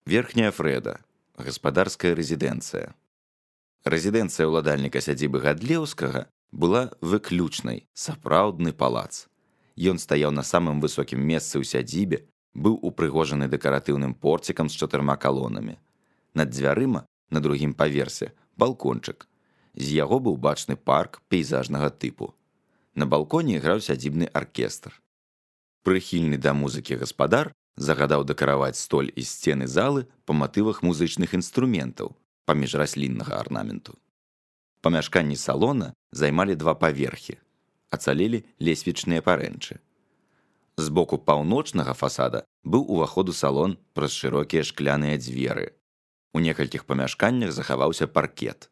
Верхняя Фрэда, гаспадарская рэзідэнцыя. Рэзідэнцыя ўладальніка сядзібы Гадлеўскага была выключнай, сапраўдны палац. Ён стаяў на самым высокім месцы ў сядзібе, быў упрыгожаны дэкаратыўным порцікам з 4 калонамі. Над дзвярыма, на другім паверсе, балкончык. З яго быў бачны парк пейзажнага тыпу. На балконе іграў сядзібны аркестр. Прыхільны да музыкі гаспадар загадаў дэкараваць столь і сцены залы па матывах музычных інструментаў, паміж расліннага арнаменту. Памяшканні салона займалі 2 паверхі, ацалелі лесвічныя парэнчы. З боку паўночнага фасада быў уваход у салон праз шырокія шкляныя дзверы. У некалькіх памяшканнях захаваўся паркет.